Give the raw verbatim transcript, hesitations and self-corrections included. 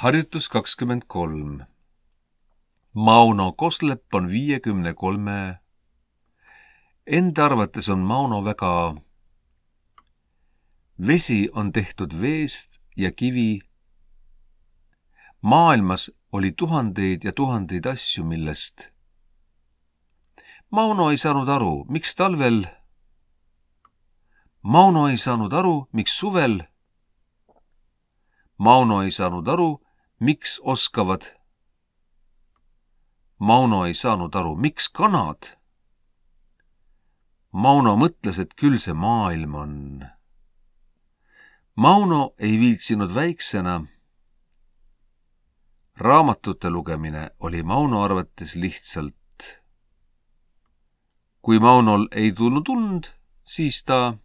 Harjutus kakskümmend kolm. Mauno Koslepp on viiekümne kolme. Enda arvates on Mauno väga. Vesi on tehtud veest ja kivi. Maailmas oli tuhandeid ja tuhandeid asju, millest. Mauno ei saanud aru, miks talvel. Mauno ei saanud aru, miks suvel. Mauno ei saanud aru, miks oskavad. Mauno ei saanud aru, miks kanad. Mauno mõtles, et küll see maailm on. Mauno ei viitsinud väiksena. Raamatute lugemine oli Mauno arvates lihtsalt. Kui Maunol ei tulnud und, siis ta